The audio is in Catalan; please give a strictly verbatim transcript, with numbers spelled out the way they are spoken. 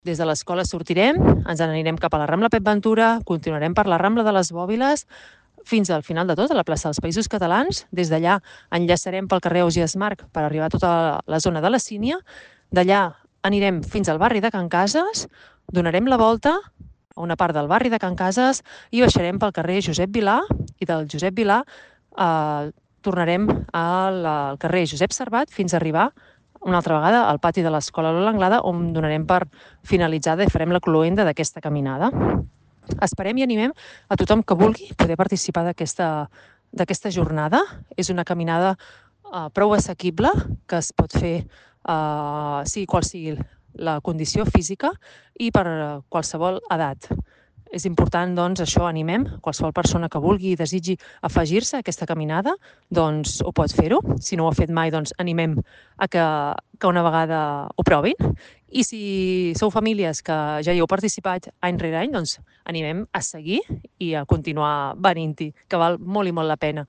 Des de l'escola sortirem, ens n'anirem cap a la Rambla Pep Ventura, continuarem per la Rambla de les Bòbiles, fins al final de tot, a la plaça dels Països Catalans. Des d'allà enllaçarem pel carrer Ausiàs Marc per arribar a tota la zona de la Sínia. D'allà anirem fins al barri de Can Cases, donarem la volta a una part del barri de Can Cases i baixarem pel carrer Josep Vilà, i del Josep Vilà eh, tornarem al, al carrer Josep Servat fins a arribar una altra vegada al pati de l'Escola Lola Anglada, on donarem per finalitzada i farem la cloenda d'aquesta caminada. Esperem i animem a tothom que vulgui poder participar d'aquesta d'aquesta jornada. És una caminada eh, prou assequible, que es pot fer eh, sigui qual sigui la condició física i per qualsevol edat. És important, doncs, això, animem qualsevol persona que vulgui i desitgi afegir-se a aquesta caminada, doncs ho pot fer-ho. Si no ho ha fet mai, doncs animem a que, que una vegada ho provin. I si sou famílies que ja hi heu participat any rere any, doncs animem a seguir i a continuar venint-hi, que val molt i molt la pena.